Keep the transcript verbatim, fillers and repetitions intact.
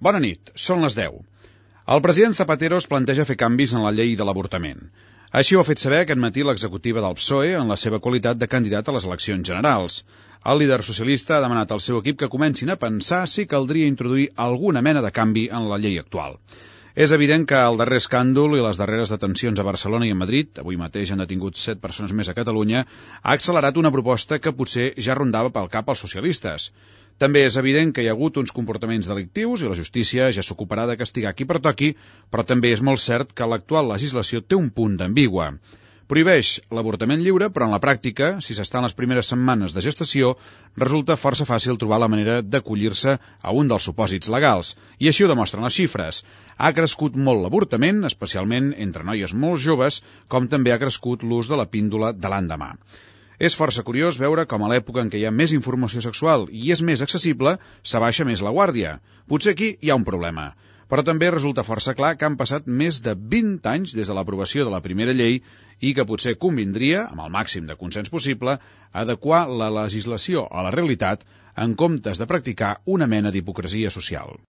Bona nit, són les deu. El president Zapatero es planteja fer canvis en la llei de l'avortament. Així ho ha fet saber aquest matí l'executiva del P S O E en la seva qualitat de candidat a les eleccions generals. El líder socialista ha demanat al seu equip que comencin a pensar si caldria introduir alguna mena de canvi en la llei actual. És evident que el darrer escàndol i les darreres detencions a Barcelona i a Madrid, avui mateix han detingut set persones més a Catalunya, ha accelerat una proposta que potser ja rondava pel cap als socialistes. També és evident que hi ha hagut uns comportaments delictius i la justícia ja s'ocuparà de castigar qui pertoqui, però també és molt cert que l'actual legislació té un punt d'ambigua. Prohibeix l'avortament lliure, però en la pràctica, si s'està en les primeres setmanes de gestació, resulta força fàcil trobar la manera d'acollir-se a un dels supòsits legals. I així ho demostren les xifres. Ha crescut molt l'avortament, especialment entre noies molt joves, com també ha crescut l'ús de la píndola de l'endemà. És força curiós veure com a l'època en què hi ha més informació sexual i és més accessible, s'abaixa més la guàrdia. Potser aquí hi ha un problema. Però també resulta força clar que han passat més de vint anys des de l'aprovació de la primera llei i que potser convindria, amb el màxim de consens possible, adequar la legislació a la realitat en comptes de practicar una mena d'hipocresia social.